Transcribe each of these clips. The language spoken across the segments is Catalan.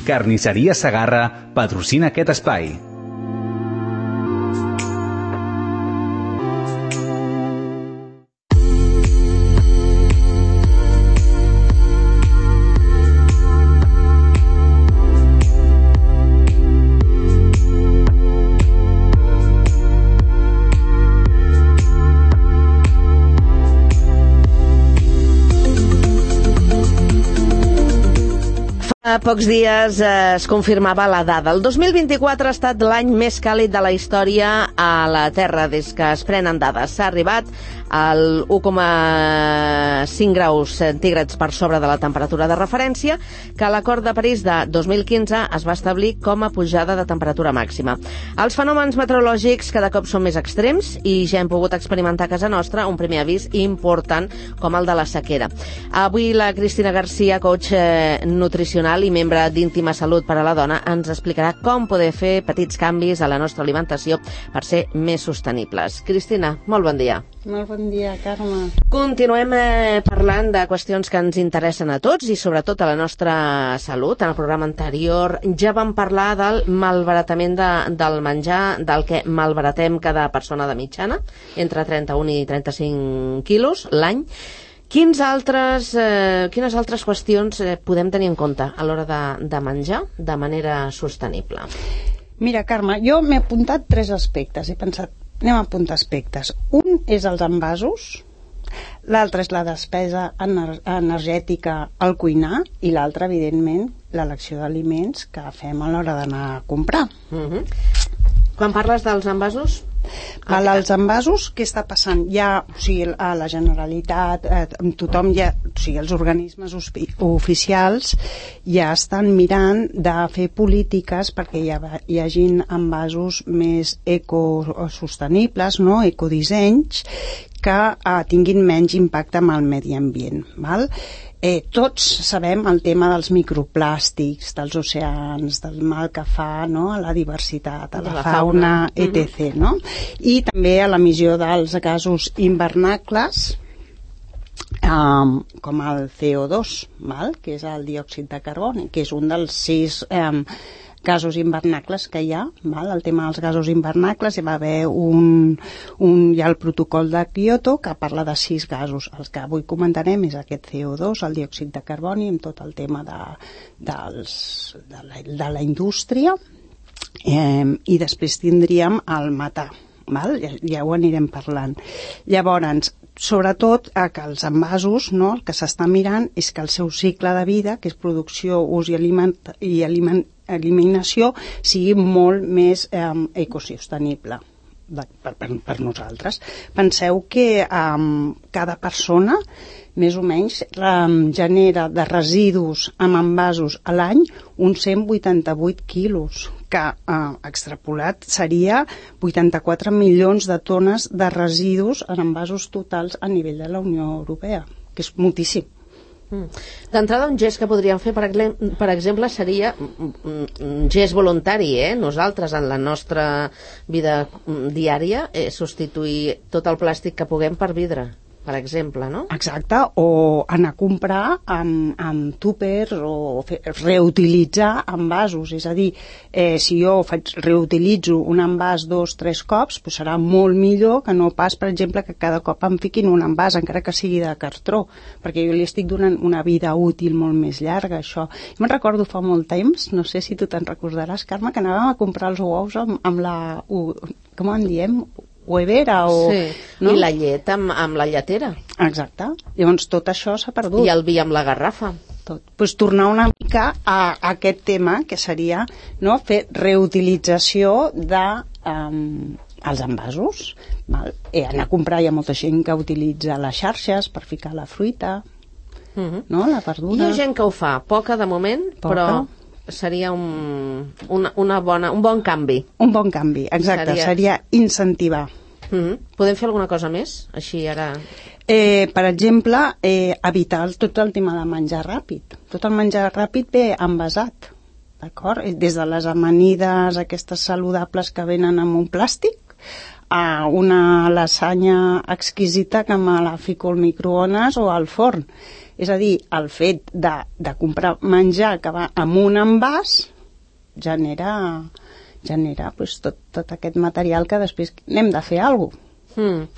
Carnisseria Segarra patrocina aquest espai. Fa pocs dies es confirmava la dada. El 2024 ha estat l'any més càlid de la història a la Terra des que es prenen dades. S'ha arribat al 1,5 graus centígrads per sobre de la temperatura de referència que a l'Acord de París de 2015 es va establir com a pujada de temperatura màxima. Els fenòmens meteorològics cada cop són més extrems i ja hem pogut experimentar a casa nostra un primer avís important com el de la sequera. Avui la Cristina Garcia, coach nutricional i membre d'Íntima Salut per a la Dona, ens explicarà com poder fer petits canvis a la nostra alimentació per ser més sostenibles. Cristina, molt bon dia. Molt bon dia, Carme. Continuem parlant de qüestions que ens interessen a tots i sobretot a la nostra salut. En el programa anterior ja vam parlar del malbaratament del menjar, del que malbaratem cada persona de mitjana, entre 31 i 35 quilos l'any. Quines altres qüestions podem tenir en compte a l'hora de menjar de manera sostenible? Mira, Carme, jo m'he apuntat 3 aspectes. He pensat, anem a apuntar aspectes. Un és els envasos, l'altre és la despesa energètica al cuinar i l'altre, evidentment, l'elecció d'aliments que fem a l'hora d'anar a comprar. Quan parles dels envasos? Els envasos, què està passant? Ja, o sigui, a la Generalitat, tothom ja, o sigui, els organismes oficials ja estan mirant de fer polítiques perquè hi hagin envasos més ecosostenibles, no? Ecodissenys, que tinguin menys impacte amb el medi ambient, val? Tots sabem el tema dels microplàstics, dels oceans, del mal que fa, no? A la diversitat, a la fauna, etc. No? I també a l'emissió dels gasos invernacles, com el CO2, val? Que és el diòxid de carboni, que és un dels 6 gasos invernacles que hi ha, val? El tema dels gasos invernacles, hi va haver hi ha el protocol de Kyoto que parla de 6 gasos. Els que avui comentarem és aquest CO2, el diòxid de carboni, amb tot el tema de la indústria, i després tindríem el metà, val? Ja ho anirem parlant. Llavors, sobretot que els envasos, no? El que s'està mirant és que el seu cicle de vida, que és producció, ús i eliminació, sigui molt més ecosostenible per nosaltres. Penseu que cada persona més o menys genera de residus amb envasos a l'any uns 188 quilos, que extrapolat seria 84 milions de tones de residus en envasos totals a nivell de la Unió Europea, que és moltíssim. D'entrada, un gest que podríem fer, per exemple, seria un gest voluntari, nosaltres en la nostra vida diària, substituir tot el plàstic que puguem per vidre, per exemple, no? Exacte, o anar a comprar amb túpers o reutilitzar envasos, és a dir, si jo reutilitzo un envàs 2-3 cops, doncs serà molt millor que no pas, per exemple, que cada cop em fiquin un envàs, encara que sigui de cartró, perquè jo li estic donant una vida útil molt més llarga, això. Jo me'n recordo fa molt temps, no sé si tu te'n recordaràs, Carme, que anàvem a comprar els ous amb la... com en diem? Huevera o... Sí, no? I la llet amb la lletera. Exacte. Llavors tot això s'ha perdut. I el vi amb la garrafa. Tot. Pues tornar una mica a aquest tema, que seria, no, fer reutilització de els envasos. Val? Anar a comprar, hi ha molta gent que utilitza les xarxes per ficar la fruita, no, la verdura. Hi ha gent que ho fa, poca de moment, però seria un bon canvi. Un bon canvi, exacte, seria incentivar. Podem fer alguna cosa més? Així ara... Per exemple, evitar tot el tema de menjar ràpid. Tot el menjar ràpid ve envasat, d'acord? Des de les amanides, aquestes saludables que venen amb un plàstic, a una lasanya exquisita que me la fico al microones o al forn. És a dir, el fet de comprar menjar que va amb un envàs genera pues, tot aquest material que després n'hem de fer alguna cosa.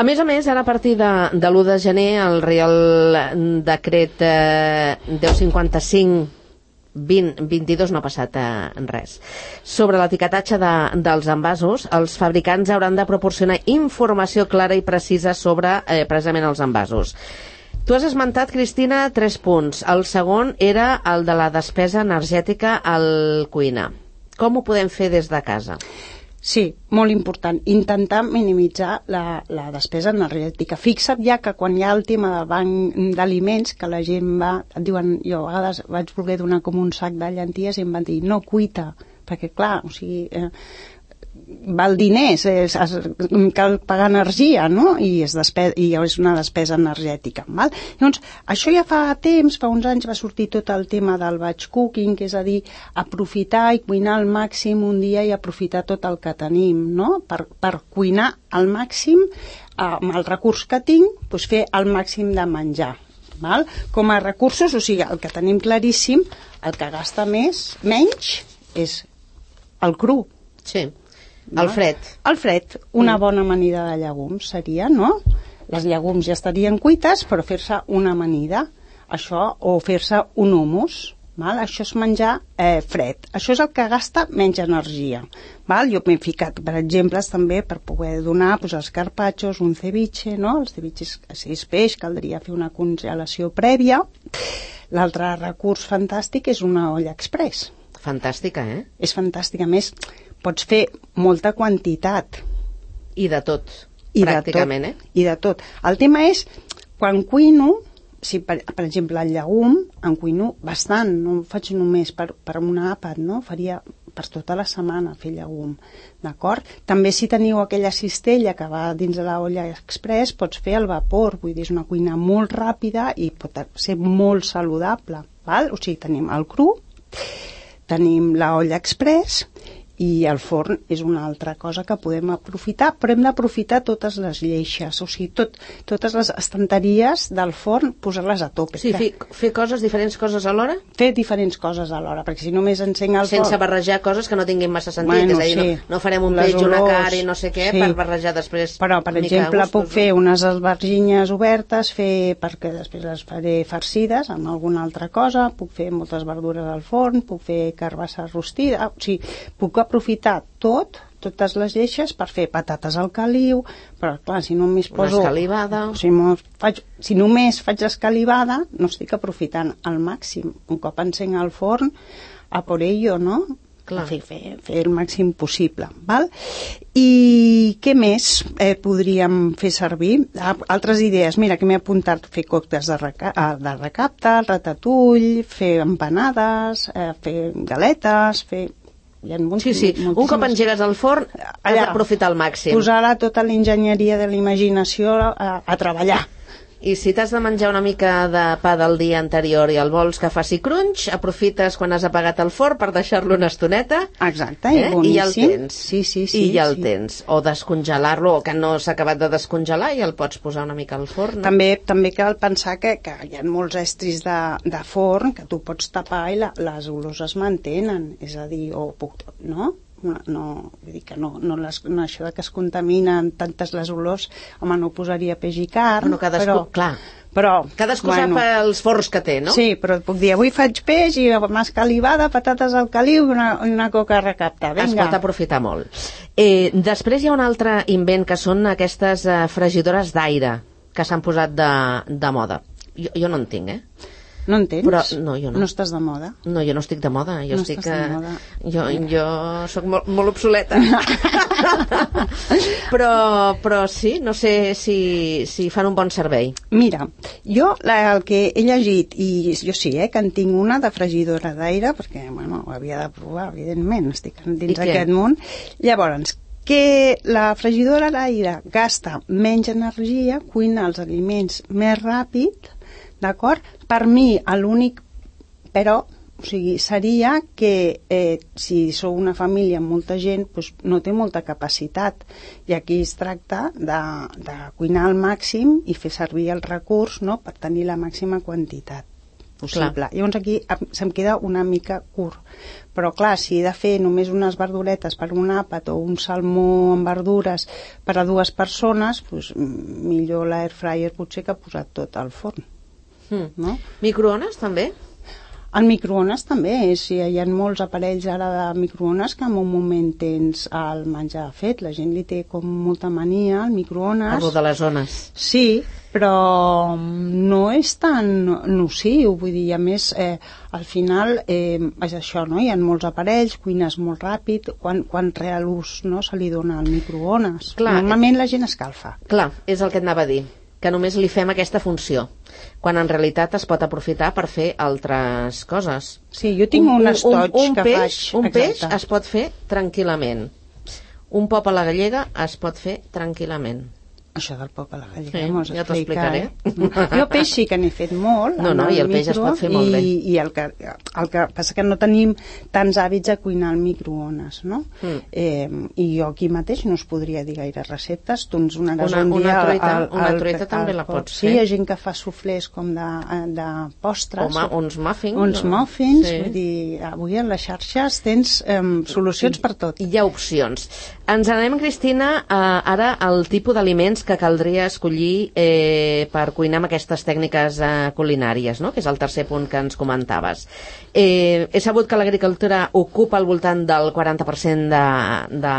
A més, ara a partir de l'1 de gener, el Reial Decret 1055 2022 no ha passat res. Sobre l'etiquetatge dels envasos, els fabricants hauran de proporcionar informació clara i precisa sobre precisament els envasos. Tu has esmentat, Cristina, 3 punts. El segon era el de la despesa energètica al cuinar. Com ho podem fer des de casa? Sí, molt important. Intentar minimitzar la despesa energètica. Fixa't ja que quan hi ha el tema del banc d'aliments, que la gent va, et diuen, jo a vegades vaig voler donar com un sac de llenties i em van dir, no, cuita, perquè clar, o sigui, val diners, cal pagar energia, no? I és una despesa energètica. Val? Llavors, això ja fa temps, fa uns anys va sortir tot el tema del batch cooking, que és a dir, aprofitar i cuinar al màxim un dia i aprofitar tot el que tenim, no? Per cuinar al màxim amb el recurs que tinc, doncs fer el màxim de menjar. Val? Com a recursos, o sigui, el que tenim claríssim, el que gasta menys és el cru. Sí. El fred. El fred. Una bona amanida de llegums seria, no? Les llegums ja estarien cuites, però fer-se una amanida, això, o fer-se un hummus, val? Això és menjar fred. Això és el que gasta menys energia. Val? Jo m'he ficat, per exemple, també per poder donar doncs, els carpaccios, un ceviche, no? Els ceviches, si és peix, caldria fer una congelació prèvia. L'altre recurs fantàstic és una olla express. Fantàstica, És fantàstica. A més, pots fer molta quantitat. I de tot, pràcticament, I de tot. El tema és, quan cuino, si per exemple el llegum, en cuino bastant, no ho faig només per un àpat, no? Faria per tota la setmana fer llegum, d'acord? També si teniu aquella cistella que va dins de l'olla express, pots fer al vapor, vull dir, és una cuina molt ràpida i pot ser molt saludable, val? O sigui, tenim el cru, tenim l'olla express i el forn és una altra cosa que podem aprofitar, però hem d'aprofitar totes les lleixes, o sigui, totes les estanteries del forn, posar-les a tope. Sí, fer diferents coses alhora? Fer diferents coses alhora, perquè si només encenc el forn... Sense barrejar coses que no tinguin massa sentit, és a dir, no farem un peix, una cara i no sé què, per barrejar després... Però, per exemple, puc fer unes albergínies obertes, perquè després les faré farcides amb alguna altra cosa, puc fer moltes verdures al forn, puc fer carbassa rostida, o sigui, puc aprofitar totes les lleixes per fer patates al caliu, però clar, si només poso... Una escalivada... Si només faig escalivada, no estic aprofitant al màxim. Un cop encenc el forn, a por ello, no? Clar. Fer el màxim possible, val? I què més podríem fer servir? Altres idees, mira, que m'he apuntat fer còctels de recapte, ratatouille, fer empanades, fer galetes, fer... Sí. Un cop engegues al forn, has d'aprofitar al màxim. Posar tota l'enginyeria de la imaginació a treballar. I si t'has de menjar una mica de pa del dia anterior i el vols que faci crunch, aprofites quan has apagat el forn per deixar-lo una estoneta. Exacte, i boníssim. I ja el tens. Sí. I ja el tens. O descongelar-lo, o que no s'ha acabat de descongelar i el pots posar una mica al forn. No? També cal pensar que hi ha molts estris de forn que tu pots tapar i les olors es mantenen. És a dir, no? No, vull dir que no això de que es contaminen tantes les olors, home, no posaria peix i carn, cadascú sap els forns que té, no? Sí, però et puc dir, avui faig peix i una escalivada, patates al caliu i una coca recapta, vinga. Es pot aprofitar molt. Després hi ha un altre invent que són aquestes fregidores d'aire que s'han posat de moda. Jo no en tinc, No en tens? Però, no, jo no. No estàs de moda? No, jo no estic de moda. Jo no estic... de moda. Jo soc molt obsoleta. però sí, no sé si fan un bon servei. Mira, jo el que he llegit, i jo sí, que en tinc una de fregidora d'aire, perquè, bueno, ho havia de provar, evidentment, estic dins d'aquest món. Llavors, que la fregidora d'aire gasta menys energia, cuina els aliments més ràpid, d'acord? Per mi, l'únic però, o sigui, seria que si sou una família amb molta gent, doncs no té molta capacitat, i aquí es tracta de cuinar al màxim i fer servir el recurs, no?, per tenir la màxima quantitat possible. Clar. Llavors aquí se'm queda una mica curt, però clar, si he de fer només unes verduretes per un àpat o un salmó amb verdures per a 2 persones, doncs millor l'air fryer potser que posar tot al forn. No? Microones també? El microones també, hi ha molts aparells ara de microones que en un moment tens el menjar fet, la gent li té com molta mania al microones. Parlo de les zones. Sí, però no és tan nociu, vull dir, a més al final és això, no? Hi ha molts aparells, cuines molt ràpid, quan real ús, no, se li dona al microones. Normalment la gent escalfa. Clar, és el que et anava a dir, que només li fem aquesta funció, quan en realitat es pot aprofitar per fer altres coses. Sí, jo tinc un estoig que faig. Un peix es pot fer tranquil·lament. Un pop a la gallega es pot fer tranquil·lament. Això del pop a la gallega, sí, ja t'ho explicaré. Jo peix sí que n'he fet molt. No, i el peix es pot fer molt bé. I el que passa que no tenim tants hàbits a cuinar al microones, no? I jo aquí mateix no us podria dir gaire receptes. Tu ens donaràs un dia... Una truita també la pots fer. Sí, hi ha gent que fa suflés com de postres. Home, uns muffins. Uns muffins, sí. Vull dir, avui a les xarxes tens solucions per tot. Hi ha opcions. Ens anem, Cristina, ara al tipus d'aliments que caldria escollir per cuinar amb aquestes tècniques culinàries, no? Que és el tercer punt que ens comentaves. He sabut que l'agricultura ocupa al voltant del 40% de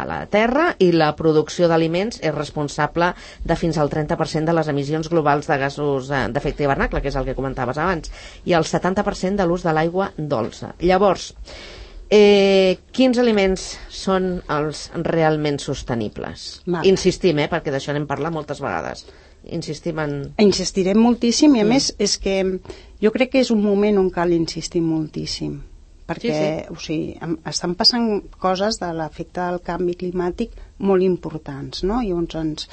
la terra i la producció d'aliments és responsable de fins al 30% de les emissions globals de gasos d'efecte hivernacle, que és el que comentaves abans, i el 70% de l'ús de l'aigua dolça. Llavors, quins aliments són els realment sostenibles? Insistim, perquè d'això n'hem parlat moltes vegades. Insistirem moltíssim i a més és que jo crec que és un moment on cal insistir moltíssim perquè o sigui, estan passant coses de l'efecte del canvi climàtic molt importants, no? Llavors ens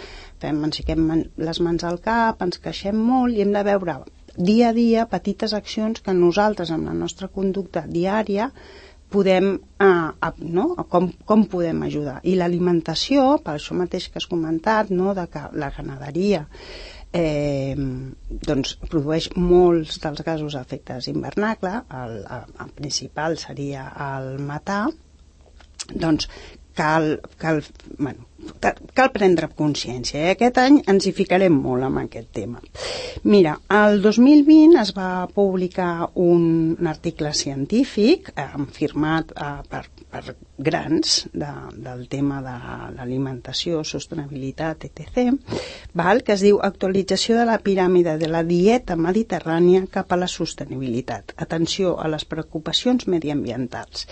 fiquem les mans al cap, ens queixem molt i hem de veure dia a dia petites accions que nosaltres amb la nostra conducta diària podem, com podem ajudar. I l'alimentació, per això mateix que has comentat, no, de que la ramaderia doncs produeix molts dels gasos d'efectes hivernacle, el principal seria el metà, doncs cal prendre consciència. Aquest any ens hi ficarem molt amb aquest tema. Mira, el 2020 es va publicar un article científic firmat per grans del tema de l'alimentació, sostenibilitat, etc., que es diu Actualització de la piràmide de la dieta mediterrània cap a la sostenibilitat. Atenció a les preocupacions mediambientals.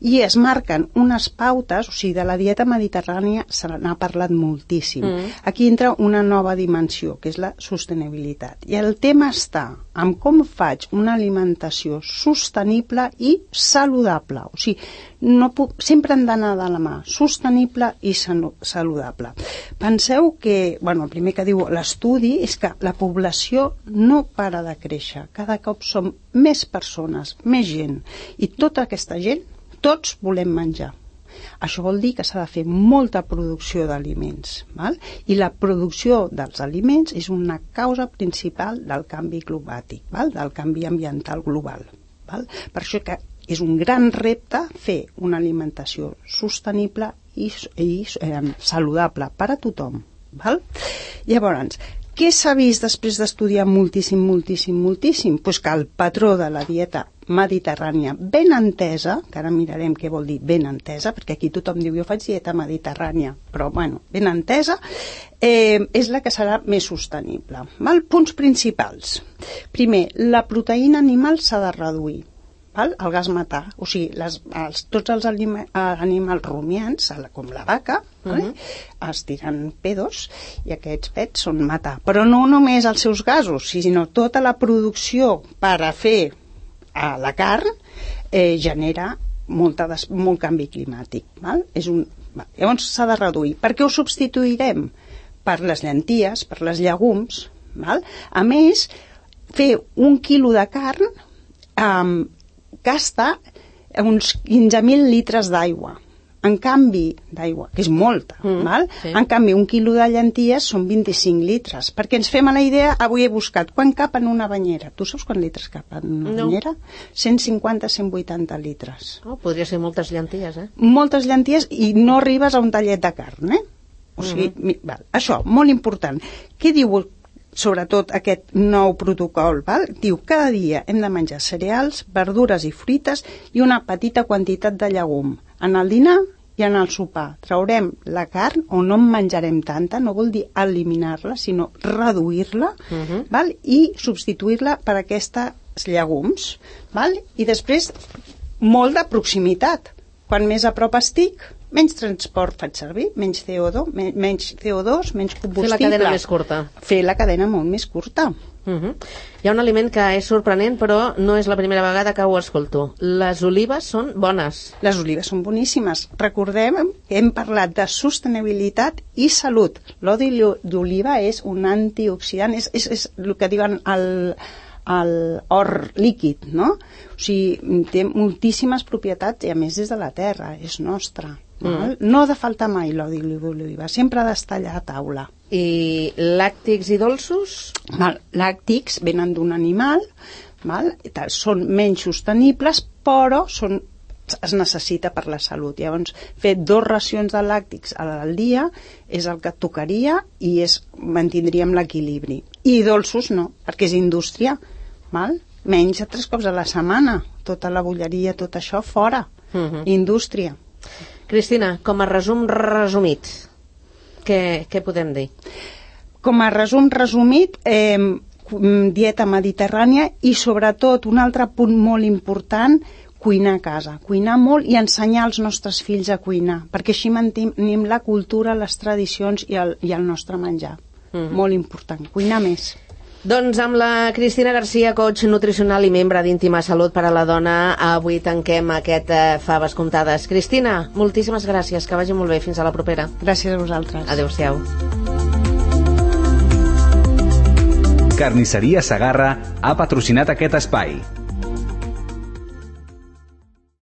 I es marquen unes pautes, o sigui, de la dieta mediterrània se n'ha parlat moltíssim. Aquí entra una nova dimensió, que és la sostenibilitat. I el tema està en com faig una alimentació sostenible i saludable. O sigui, sempre han d'anar de la mà, sostenible i saludable. Penseu que, el primer que diu l'estudi és que la població no para de créixer. Cada cop som més persones, més gent. I tota aquesta gent, tots volem menjar. Això vol dir que s'ha de fer molta producció d'aliments, i la producció dels aliments és una causa principal del canvi climàtic, del canvi ambiental global. Per això que és un gran repte fer una alimentació sostenible i saludable per a tothom. Llavors, què s'ha vist després d'estudiar moltíssim? Doncs que el patró de la dieta mediterrània ben entesa, que ara mirarem què vol dir ben entesa, perquè aquí tothom diu jo faig dieta mediterrània, però ben entesa, és la que serà més sostenible. Punts principals. Primer, la proteïna animal s'ha de reduir. El gas metà, o sigui, tots els animals rumiants, com la vaca, es tiren pedos i aquests pets són metà. Però no només els seus gasos, sinó tota la producció per a fer la carn genera molt canvi climàtic. Llavors s'ha de reduir. Per què ho substituirem? Per les llenties, per les llegums. A més, fer 1 quilo de carn gasta uns 15.000 litres d'aigua. En canvi, d'aigua, que és molta, val? Sí. En canvi, 1 quilo de llenties són 25 litres. Perquè ens fem a la idea, avui he buscat, quan cap en una banyera? Tu saps quants litres cap en una banyera? 150-180 litres. Oh, podria ser moltes llenties, Moltes llenties i no arribes a un tallet de carn, O sigui, val, això, molt important. Què diu sobretot aquest nou protocol? Val? Diu, cada dia hem de menjar cereals, verdures i fruites i una petita quantitat de llegum. En el dinar i en el sopar. Traurem la carn o no en menjarem tanta, no vol dir eliminar-la, sinó reduir-la, val? I substituir-la per aquests llegums. Val? I després, molt de proximitat. Quan més a prop estic, menys transport faig servir, menys CO2, menys combustible. Fer la cadena més curta. Fer la cadena molt més curta. Hi ha un aliment que és sorprenent, però no és la primera vegada que ho escolto. Les olives són bones. Les olives són boníssimes. Recordem que hem parlat de sostenibilitat i salut. L'oli d'oliva és un antioxidant, és el que diuen l'or líquid, no? O sigui, té moltíssimes propietats i a més és de la terra, és nostra. No ha de faltar mai l'oli d'oliva, sempre ha d'estar allà a taula. I làctics i dolços? Làctics venen d'un animal, són menys sostenibles, però es necessita per la salut. Llavors, fer 2 racions de làctics al dia és el que tocaria i mantindríem l'equilibri. I dolços no, perquè és indústria. Menja 3 cops a la setmana, tota la bolleria, tot això fora. Indústria. Cristina, com a resum resumit, què podem dir? Com a resum resumit, dieta mediterrània i sobretot un altre punt molt important, cuinar a casa, cuinar molt i ensenyar als nostres fills a cuinar, perquè així mantenim la cultura, les tradicions i el nostre menjar. Molt important, cuinar més. Doncs amb la Cristina Garcia, coach nutricional i membre d'Íntima Salut per a la Dona, avui tanquem aquest Faves Comptades. Cristina, moltíssimes gràcies, que vagi molt bé, fins a la propera. Gràcies a vosaltres. Adéu-siau. Carnisseria Segarra ha patrocinat aquest espai.